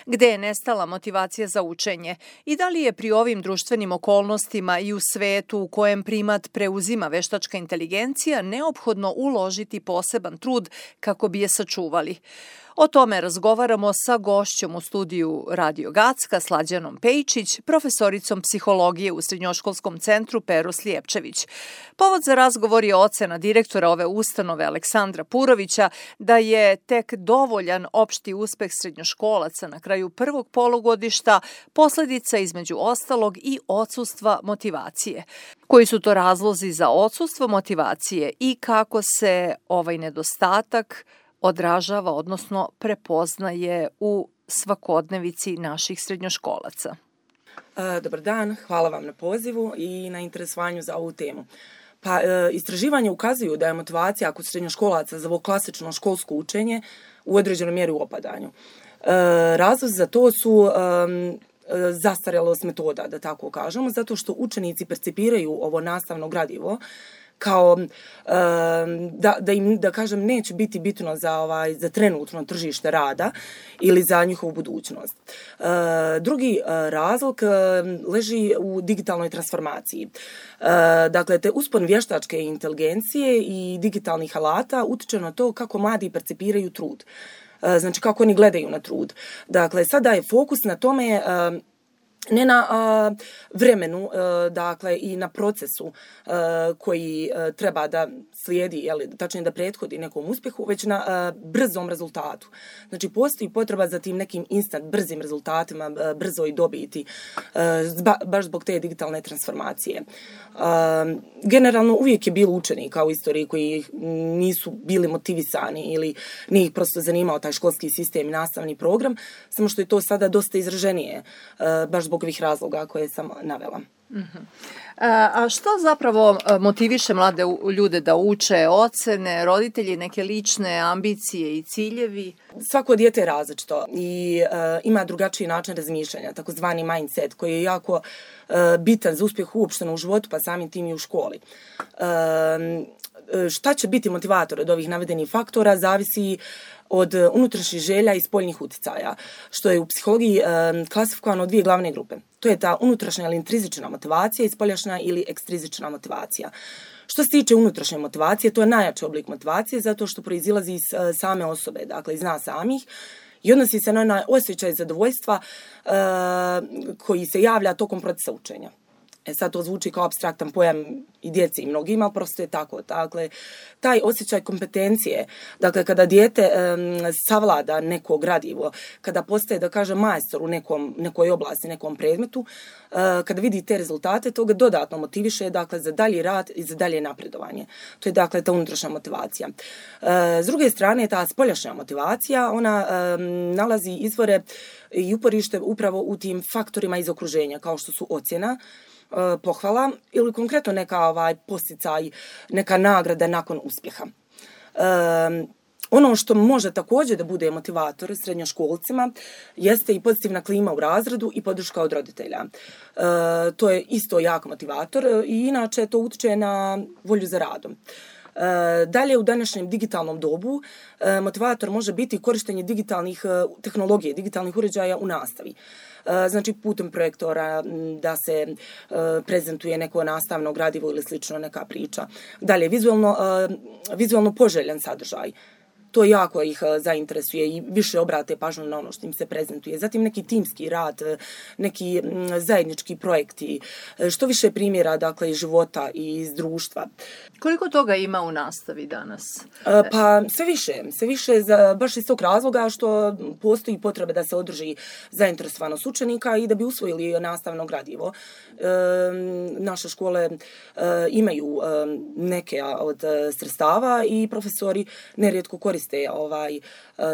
Gde je nestala motivacija za učenje i da li je pri ovim društvenim okolnostima i u svetu u kojem primat preuzima veštačka inteligencija neophodno uložiti poseban trud kako bi je sačuvali? O tome razgovaramo sa gošćom u studiju Radio Gacka, Slađanom Pejčić, profesoricom psihologije u Srednjoškolskom centru Pero Slijepčević. Povod za razgovor je ocena direktora ove ustanove Aleksandra Purovića da je tek dovoljan opšti uspeh srednjoškolaca na kraju prvog polugodišta posledica između ostalog i odsustva motivacije. Koji su to razlozi za odsustvo motivacije i kako se ovaj nedostatak odražava, odnosno prepoznaje u svakodnevici naših srednjoškolaca? Dobar dan, hvala vam na pozivu i na interesovanju za ovu temu. Istraživanja ukazuju da je motivacija kod srednjoškolaca za ovo klasično školsko učenje u određenoj mjeri u opadanju. Razlog za to su zastarjelost metoda, da tako kažemo, zato što učenici percipiraju ovo nastavno gradivo kao da im, da kažem, neće biti bitno za trenutno tržište rada ili za njihovu budućnost. Drugi razlog leži u digitalnoj transformaciji. Dakle, te uspon vještačke inteligencije i digitalnih alata utiče na to kako mladi percipiraju trud. Znači, kako oni gledaju na trud. Dakle, sada je fokus na tome ne na vremenu, dakle, i na procesu koji treba da slijedi, tačnije da prethodi nekom uspjehu, već na brzom rezultatu. Znači, postoji potreba za tim nekim instant, brzim rezultatima, brzoj dobiti, baš zbog te digitalne transformacije. Generalno, uvijek je bilo učenika u istoriji koji nisu bili motivisani ili nije ih prosto zanimao taj školski sistem i nastavni program, samo što je to sada dosta izraženije, baš zbog ovih razloga koje sam navela. A što zapravo motiviše mlade ljude da uče? Ocene, roditelji, neke lične ambicije i ciljevi? Svako dijete je različito i ima drugačiji način razmišljanja, takozvani mindset, koji je jako bitan za uspjeh uopšteno u životu, pa samim tim i u školi. Šta će biti motivator od ovih navedenih faktora zavisi od unutrašnjih želja i spoljnih uticaja, što je u psihologiji klasifikovano u dvije glavne grupe. To je ta unutrašnja ili intrizična motivacija i spoljašnja ili ekstrizična motivacija. Što se tiče unutrašnje motivacije, to je najjači oblik motivacije zato što proizilazi iz same osobe, dakle iz nas samih, i odnosi se na onaj osjećaj zadovoljstva koji se javlja tokom procesa učenja. Sad to zvuči kao apstraktan pojam i djeci i mnogima, prosto je tako. Dakle, taj osjećaj kompetencije, dakle, kada dijete savlada neko gradivo, kada postaje, da kažem, majstor u nekoj oblasti, nekom predmetu, kada vidi te rezultate, to ga dodatno motiviše, dakle, za dalji rad i za dalje napredovanje. To je, dakle, ta unutrašnja motivacija. S druge strane, ta spoljašnja motivacija, ona nalazi izvore i uporište upravo u tim faktorima iz okruženja, kao što su ocjena, pohvala ili konkretno neka posticaj, neka nagrada nakon uspjeha. Ono što može također da bude motivator srednjoškolcima jeste i pozitivna klima u razredu i podrška od roditelja. To je isto jak motivator i inače to utiče na volju za radom. Dalje, u današnjem digitalnom dobu motivator može biti korištenje digitalnih tehnologije, digitalnih uređaja u nastavi. Znači, putem projektora da se prezentuje neko nastavno gradivo ili slično, neka priča. Dalje, vizualno poželjan sadržaj. To jako ih zainteresuje i više obrate pažnju na ono što im se prezentuje. Zatim neki timski rad, neki zajednički projekti, što više primjera, dakle, iz života i iz društva. Koliko toga ima u nastavi danas? Pa sve više baš iz tog razloga što postoji potreba da se održi zainteresovanost učenika i da bi usvojili nastavno gradivo. Naše škole imaju neke od sredstava i profesori nerijetko koriste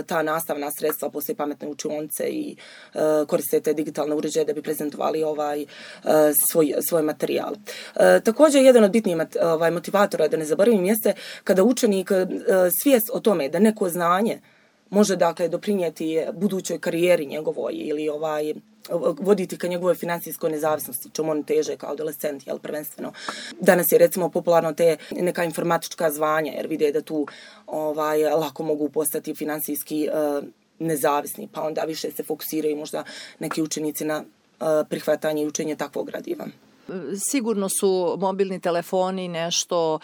ta nastavna sredstva, poslije pametne učionice i koriste te digitalne uređaje da bi prezentovali svoj materijal. Također, jedan od bitnijih motivatora, da ne zaboravim, jeste kada učenik svijest o tome da neko znanje može, dakle, doprinijeti budućoj karijeri njegovoj ili voditi ka njegovoj financijskoj nezavisnosti, čemu on teže kao adolescent, prvenstveno. Danas je, recimo, popularno te neka informatička zvanja, jer vide da tu lako mogu postati financijski nezavisni, pa onda više se fokusiraju možda neki učenici na prihvatanje i učenje takvog gradiva. Sigurno su mobilni telefoni nešto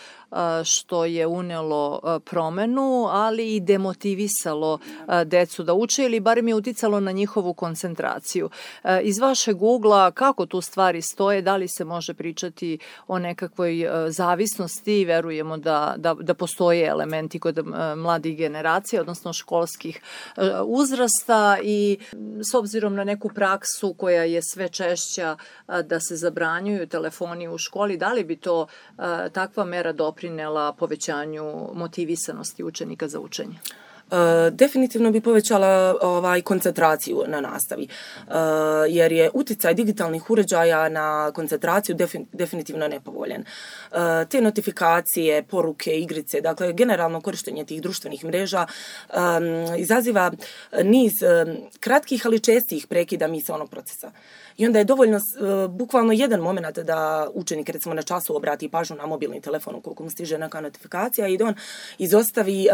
što je unelo promenu, ali i demotivisalo decu da uče ili barem je uticalo na njihovu koncentraciju. Iz vašeg ugla, kako tu stvari stoje, da li se može pričati o nekakvoj zavisnosti? Verujemo da postoje elementi kod mladih generacija, odnosno školskih uzrasta, i s obzirom na neku praksu koja je sve češća da se zabranjuju telefoni u školi, da li bi to takva mera doprinela povećanju motivisanosti učenika za učenje? Definitivno bi povećala koncentraciju na nastavi, jer je uticaj digitalnih uređaja na koncentraciju definitivno nepovoljan. Te notifikacije, poruke, igrice, dakle generalno korištenje tih društvenih mreža izaziva niz kratkih ali čestih prekida misaonog procesa. I onda je dovoljno bukvalno jedan moment da učenik recimo na času obrati pažnju na mobilni telefon ukoliko mu stiže neka notifikacija i da on izostavi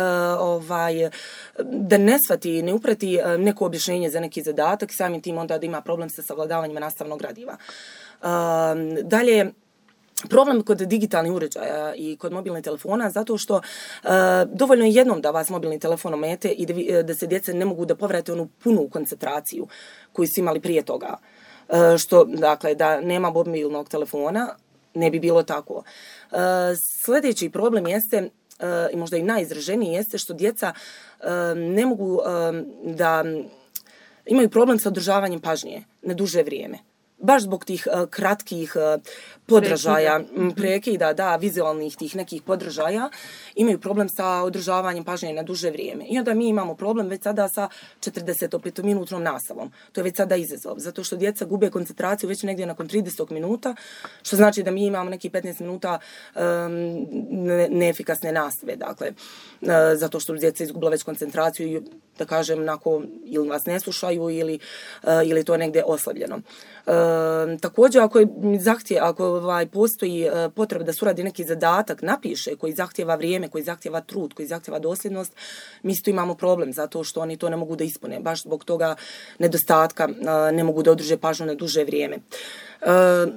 da ne shvati, ne uprati neko objašnjenje za neki zadatak i samim tim onda da ima problem sa savladavanjem nastavnog gradiva. Dalje, problem kod digitalnih uređaja i kod mobilnih telefona zato što dovoljno je jednom da vas mobilni telefon omete i da se djeca ne mogu da povrate onu punu koncentraciju koju su imali prije toga. Što, dakle, da nema mobilnog telefona, ne bi bilo tako. Sljedeći problem jeste, i možda i najizraženiji, jeste što djeca ne mogu da imaju problem sa održavanjem pažnje na duže vrijeme. Baš zbog tih kratkih podražaja, prekida, vizualnih tih nekih podražaja, imaju problem sa održavanjem pažnje na duže vrijeme. I onda mi imamo problem već sada sa 45-minutnom nastavom. To je već sada izazov, zato što djeca gube koncentraciju već negdje nakon 30 minuta, što znači da mi imamo neki 15 minuta neefikasne nastave. Dakle, zato što djeca izgubila već koncentraciju i, da kažem, ili vas ne slušaju ili to je negdje oslabljeno. Također, ako postoji potreba da se uradi neki zadatak, napiše, koji zahtjeva vrijeme, koji zahtjeva trud, koji zahtjeva dosljednost, mi isto imamo problem zato što oni to ne mogu da ispune. Baš zbog toga nedostatka ne mogu da održe pažnju na duže vrijeme.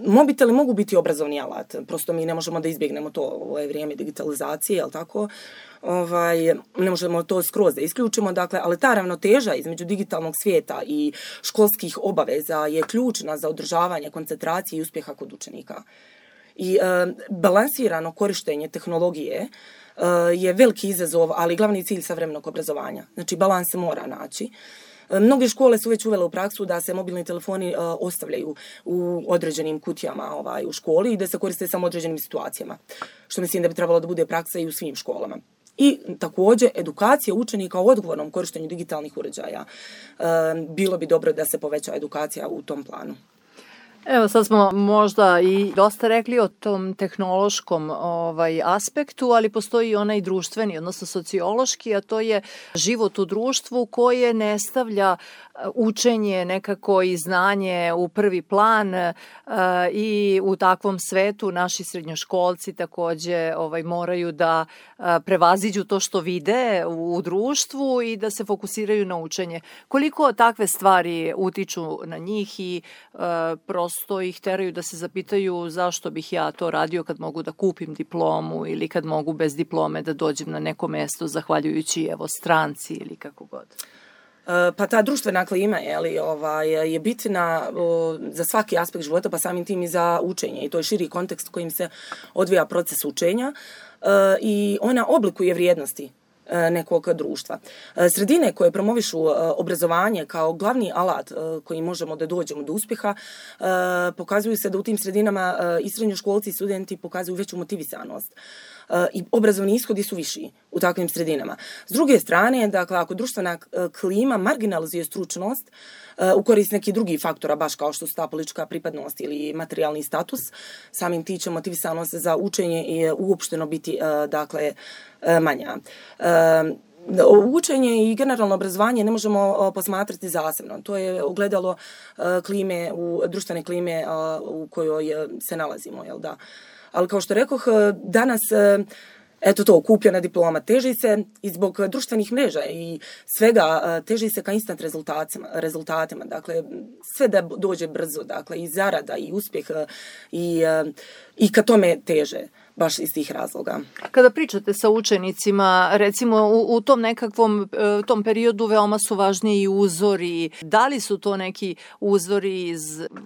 Mobiteli mogu biti obrazovni alat, prosto mi ne možemo da izbjegnemo to, ovo je vrijeme digitalizacije, jel tako? Ne možemo to skroz da isključimo, dakle, ali ta ravnoteža između digitalnog svijeta i školskih obaveza je ključna za održavanje koncentracije i uspjeha kod učenika. I balansirano korištenje tehnologije je veliki izazov, ali glavni cilj savremenog obrazovanja. Znači, balans se mora naći. Mnoge škole su već uvele u praksu da se mobilni telefoni ostavljaju u određenim kutijama u školi i da se koriste samo u određenim situacijama, što mislim da bi trebalo da bude praksa i u svim školama. I također edukacija učenika o odgovornom korištenju digitalnih uređaja. Bilo bi dobro da se poveća edukacija u tom planu. Evo, sad smo možda i dosta rekli o tom tehnološkom aspektu, ali postoji i onaj društveni, odnosno sociološki, a to je život u društvu koje ne stavlja učenje nekako i znanje u prvi plan i u takvom svetu naši srednjoškolci također moraju da prevaziđu to što vide u društvu i da se fokusiraju na učenje. Koliko takve stvari utiču na njih i prosto ih teraju da se zapitaju zašto bih ja to radio kad mogu da kupim diplomu ili kad mogu bez diplome da dođem na neko mesto zahvaljujući stranci ili kako god. Pa ta društvena klima je bitna za svaki aspekt života, pa samim tim i za učenje. I to je širi kontekst kojim se odvija proces učenja i ona oblikuje vrijednosti nekog društva. Sredine koje promovišu obrazovanje kao glavni alat koji možemo da dođemo do uspjeha, pokazuju se da u tim sredinama i srednjoškolci i studenti pokazuju veću motivisanost. I obrazovni ishodi su viši u takvim sredinama. S druge strane, dakle, ako društvena klima marginalizuje stručnost u korist nekih drugih faktora, baš kao što su ta politička pripadnost ili materijalni status, samim tim će motivisanost za učenje i uopšteno biti manja. Učenje i generalno obrazovanje ne možemo posmatrati zasebno. To je ogledalo društvene klime u kojoj se nalazimo, jel da? Ali kao što rekoh, danas Eto to, kupljena diploma, teži se i zbog društvenih mreža i svega, teži se ka instant rezultatima, dakle, sve da dođe brzo, dakle, i zarada, i uspjeh, i ka tome teže, baš iz tih razloga. Kada pričate sa učenicima, recimo u tom nekakvom tom periodu veoma su važniji i uzori. Da li su to neki uzori iz,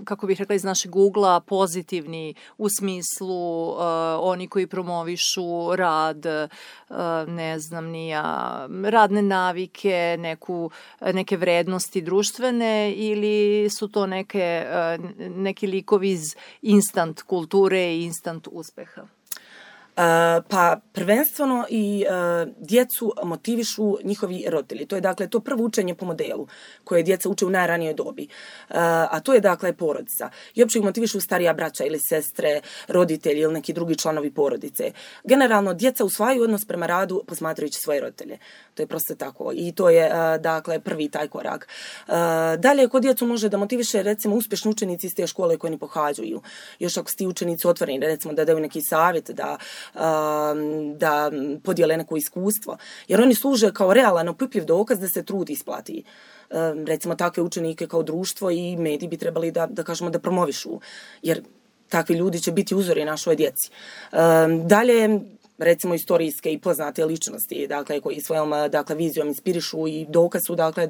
kako bih rekla, iz našeg ugla pozitivni u smislu oni koji promovišu rad, ne znam ni ja, radne navike, neke vrednosti društvene ili su to neki likovi iz instant kulture i instant uspeha? Pa prvenstveno i djecu motivišu njihovi roditelji. To je dakle to prvo učenje po modelu koje djeca uče u najranijoj dobi. A to je dakle porodica. I uopće ih motivišu starija braća ili sestre, roditelji ili neki drugi članovi porodice. Generalno djeca usvajaju odnos prema radu posmatrajući svoje roditelje. To je prosto tako. I to je dakle prvi taj korak. Dalje kod djecu može da motiviše recimo uspješni učenici iz te škole koje oni pohađaju. Još ako su ti učenici otvoreni, recimo da daju neki savjet, da podijele neko iskustvo. Jer oni služe kao realan, opipljiv dokaz da se trud isplati. Recimo takve učenike kao društvo i mediji bi trebali da kažemo da promovišu. Jer takvi ljudi će biti uzori našoj djeci. Dalje, recimo istorijske i poznate ličnosti, dakle, koji svojom vizijom inspirišu i dokaz su dakle,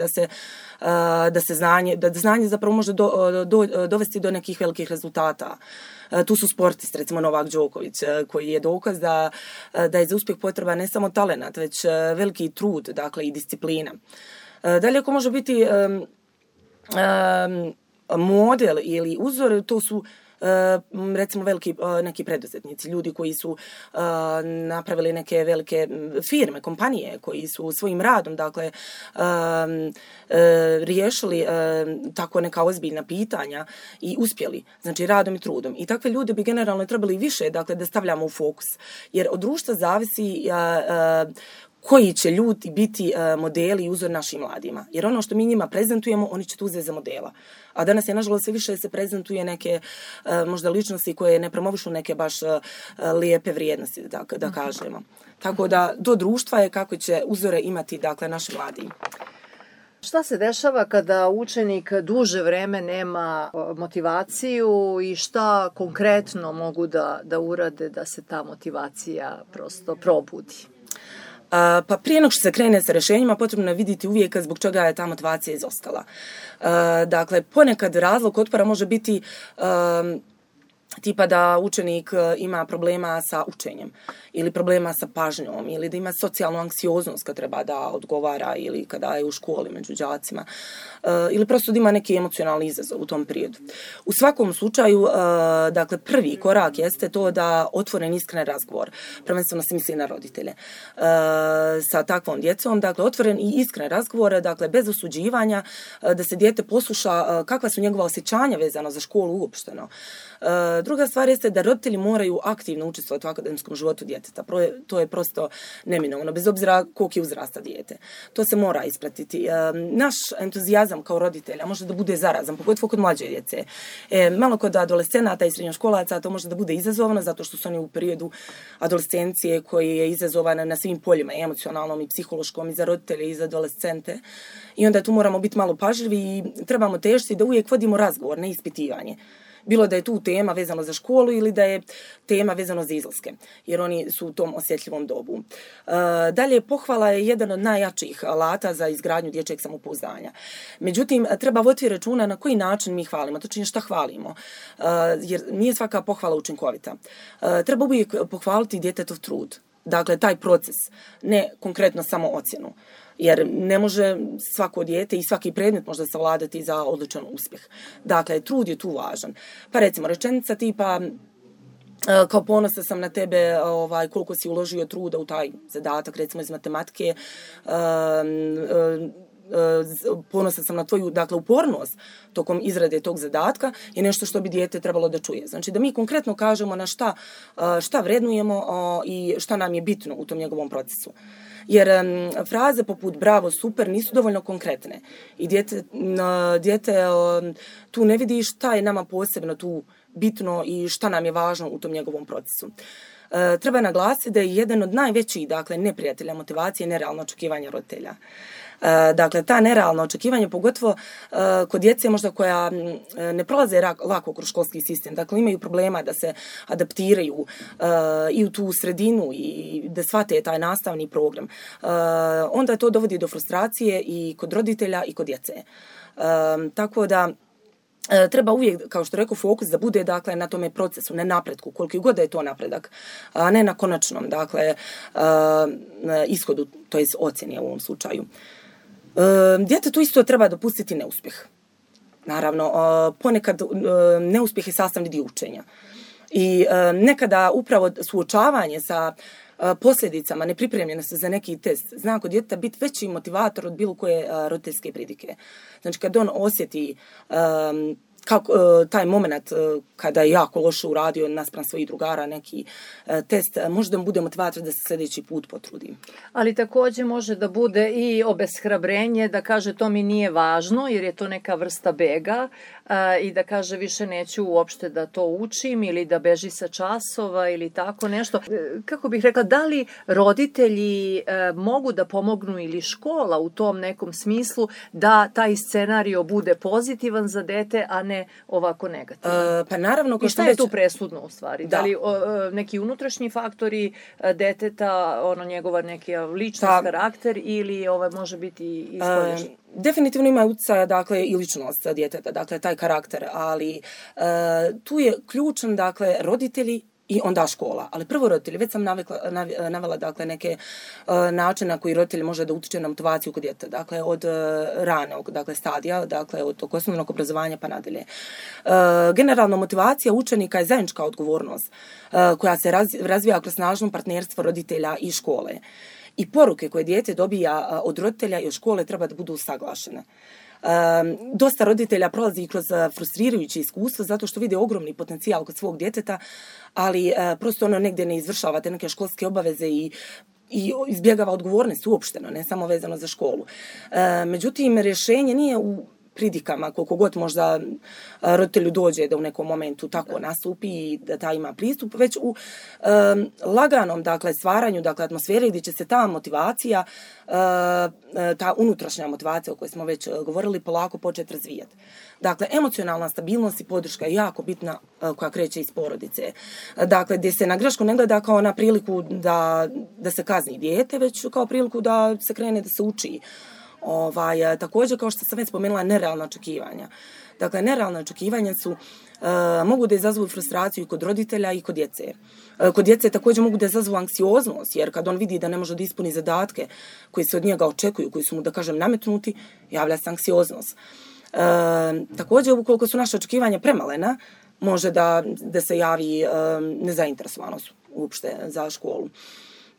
da znanje zapravo može dovesti do nekih velikih rezultata. Tu su sportisti, recimo Novak Đoković, koji je dokaz da je za uspjeh potreban ne samo talenat, već veliki trud, dakle, i disciplina. Dalje, ako može biti model ili uzor, to su recimo veliki neki preduzetnici, ljudi koji su napravili neke velike firme, kompanije, koji su svojim radom, dakle, riješili tako neka ozbiljna pitanja i uspjeli, znači radom i trudom. I takve ljude bi generalno trebali više, dakle, da stavljamo u fokus. Jer od društva zavisi koji će ljudi biti modeli i uzor našim mladima. Jer ono što mi njima prezentujemo, oni će to uzeti za modela. A danas je, nažalost, sve više se prezentuje neke možda ličnosti koje ne promovišu neke baš lijepe vrijednosti, da kažemo. Tako da do društva je kako će uzore imati, dakle, naši mladi. Šta se dešava kada učenik duže vreme nema motivaciju i šta konkretno mogu da urade da se ta motivacija prosto probudi? Pa prije nego što se krene sa rješenjima, potrebno je vidjeti uvijek zbog čega je ta motivacija izostala. Dakle, ponekad razlog otpora može biti tipa da učenik ima problema sa učenjem ili problema sa pažnjom ili da ima socijalnu anksioznost kad treba da odgovara ili kada je u školi među đacima ili prosto da ima neki emocionalni izazov u tom periodu. U svakom slučaju, dakle, prvi korak jeste to da otvoren iskren razgovor, prvenstveno se misli na roditelje, sa takvom djecom, dakle, otvoren i iskren razgovor, dakle, bez osuđivanja, da se dijete posluša kakva su njegova osjećanja vezano za školu uopšteno. Druga stvar jeste da roditelji moraju aktivno učestvovati u akademskom životu djeteta. To je prosto neminovno, bez obzira koliko je uzrasta dijete. To se mora ispratiti. Naš entuzijazam kao roditelja može da bude zarazan, pogotovo kod mlađe djece. Malo kod adolescenata i srednjoškolaca to može da bude izazovno, zato što su oni u periodu adolescencije koji je izazovan na svim poljima, emocionalnom i psihološkom, i za roditelje i za adolescente. I onda tu moramo biti malo pažljivi i trebamo težiti da uvijek vodimo razgovor, ne ispitivanje. Bilo da je tu tema vezano za školu ili da je tema vezano za izlaske, jer oni su u tom osjetljivom dobu. Dalje, pohvala je jedan od najjačih alata za izgradnju dječjeg samopouzdanja. Međutim, treba voditi računa na koji način mi hvalimo, točnije šta hvalimo, jer nije svaka pohvala učinkovita. Treba uvijek pohvaliti djetetov trud, dakle, taj proces, ne konkretno samo ocjenu. Jer ne može svako dijete i svaki predmet možda savladati za odličan uspjeh. Dakle, trud je tu važan. Pa recimo, rečenica tipa kao ponosa sam na tebe, koliko si uložio truda u taj zadatak, recimo iz matematike, ponosan sam na tvoju, dakle, upornost tokom izrade tog zadatka, je nešto što bi dijete trebalo da čuje. Znači da mi konkretno kažemo na šta vrednujemo i šta nam je bitno u tom njegovom procesu. Jer fraze poput bravo, super nisu dovoljno konkretne i dijete tu ne vidi šta je nama posebno tu bitno i šta nam je važno u tom njegovom procesu. treba naglasiti da je jedan od najvećih, dakle, neprijatelja motivacije nerealno očekivanje roditelja. Dakle, ta nerealna očekivanja, pogotovo kod djece možda koja ne prolaze lako kroz školski sistem, dakle imaju problema da se adaptiraju i u tu sredinu i da shvate taj nastavni program, onda to dovodi do frustracije i kod roditelja i kod djece. Tako da treba uvijek, kao što rekao, fokus da bude, dakle, na tome procesu, ne napretku, koliko god da je to napredak, a ne na konačnom, dakle, ishodu, to je ocjeni u ovom slučaju. Djetetu isto treba dopustiti neuspjeh. Naravno, ponekad neuspjeh je sastavni dio učenja. I nekada upravo suočavanje sa posljedicama nepripremljenosti za neki test zna kod djeteta biti veći motivator od bilo koje roditeljske pridike. Znači, kad on osjeti kako taj moment kada je jako loše uradio naspram svojih drugara neki test, možda mu bude motivator da se sljedeći put potrudi. Ali također može da bude i obeshrabrenje, da kaže to mi nije važno jer je to neka vrsta bega i da kaže više neću uopšte da to učim ili da beži sa časova ili tako nešto. Kako bih rekla, da li roditelji mogu da pomognu ili škola u tom nekom smislu da taj scenario bude pozitivan za dete, a ne ovako negativan? Pa naravno, i šta je tu presudno u stvari? Da li neki unutrašnji faktori deteta, njegova neki ličnost, karakter ili može biti ispoljašnji? Definitivno ima utjecaja, dakle, i ličnost djeteta, dakle, taj karakter, ali tu je ključan, dakle, roditelji i onda škola. Ali prvo roditelji, već sam navela, dakle, neke načine na koji roditelji može da utiče na motivaciju kod djeteta, dakle, od ranog, dakle, stadija, dakle, od tog osnovnog obrazovanja pa nadalje. Generalno, motivacija učenika je zajednička odgovornost koja se razvija kroz snažno partnerstvo roditelja i škole. I poruke koje dijete dobija od roditelja i od škole treba da budu usaglašene. Dosta roditelja prolazi kroz frustrirajuće iskustvo zato što vide ogromni potencijal kod svog djeteta, ali prosto negdje ne izvršava te neke školske obaveze i izbjegava odgovornost uopšteno, ne samo vezano za školu. Međutim, rješenje nije u pridikama, koliko god možda roditelju dođe da u nekom momentu tako nastupi i da ta ima pristup, već u laganom, dakle, stvaranju, dakle, atmosfere gdje će se ta motivacija, ta unutrašnja motivacija o kojoj smo već govorili, polako početi razvijati. Dakle, emocionalna stabilnost i podrška je jako bitna koja kreće iz porodice. Dakle, gdje se na grešku ne gleda kao na priliku da se kazni dijete, već kao priliku da se krene da se uči. Također, kao što sam već spomenula, nerealna očekivanja. Dakle, nerealna očekivanja mogu da izazovu frustraciju kod roditelja i kod djece. Kod djece također mogu da izazovu anksioznost, jer kad on vidi da ne može da ispuni zadatke koji se od njega očekuju, koji su mu, da kažem, nametnuti, javlja se anksioznost. Također, ukoliko su naše očekivanja premalena, može da se javi nezainteresovanost uopšte za školu.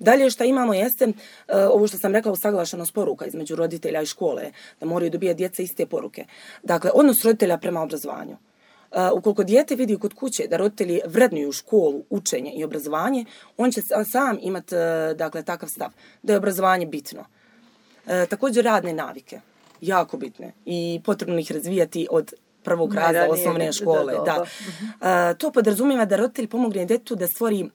Dalje što imamo jeste, ovo što sam rekla, usaglašenost poruka između roditelja i škole, da moraju dobijati djeca iste poruke. Dakle, odnos roditelja prema obrazovanju. Ukoliko dijete vidi kod kuće da roditelji vrednuju školu, učenje i obrazovanje, on će sam imati, dakle, takav stav da je obrazovanje bitno. Također radne navike, jako bitne i potrebno ih razvijati od prvog razreda osnovne škole. To podrazumijeva da roditelj pomogne djetetu da stvori,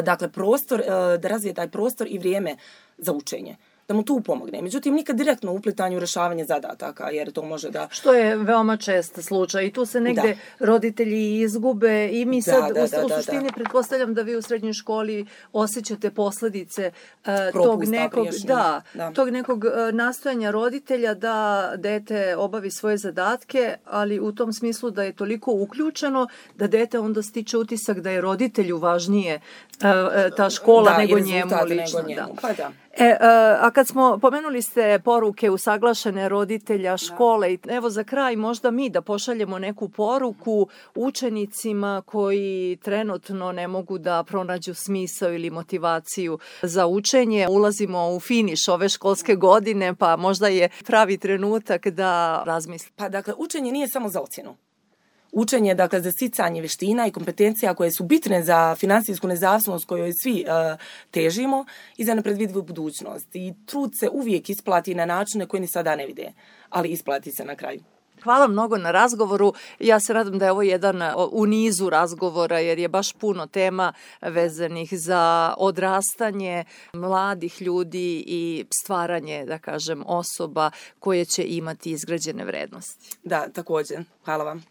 dakle, prostor, da razvije taj prostor i vrijeme za učenje, da mu tu pomogne. Međutim, nikad direktno uplitanju u rješavanje zadataka, jer to može da... Što je veoma čest slučaj i tu se negde roditelji izgube i mi sad u suštini pretpostavljam da vi u srednjoj školi osjećate posljedice tog nekog nastojanja roditelja da dete obavi svoje zadatke, ali u tom smislu da je toliko uključeno da dete onda stiče utisak da je roditelju važnije ta škola nego njemu lično. A kad smo pomenuli ste poruke usaglašene roditelja, škole, i evo za kraj možda mi da pošaljemo neku poruku učenicima koji trenutno ne mogu da pronađu smisao ili motivaciju za učenje. Ulazimo u finiš ove školske godine, pa možda je pravi trenutak da razmisli. Pa dakle, učenje nije samo za ocjenu. Učenje, dakle, za sticanje vještina i kompetencija koje su bitne za financijsku nezavisnost kojoj svi težimo i za nepredvidivu budućnost. I trud se uvijek isplati na načine koje ni sada ne vide, ali isplati se na kraju. Hvala mnogo na razgovoru. Ja se nadam da je ovo jedan u nizu razgovora jer je baš puno tema vezanih za odrastanje mladih ljudi i stvaranje, da kažem, osoba koje će imati izgrađene vrednosti. Da, također. Hvala vam.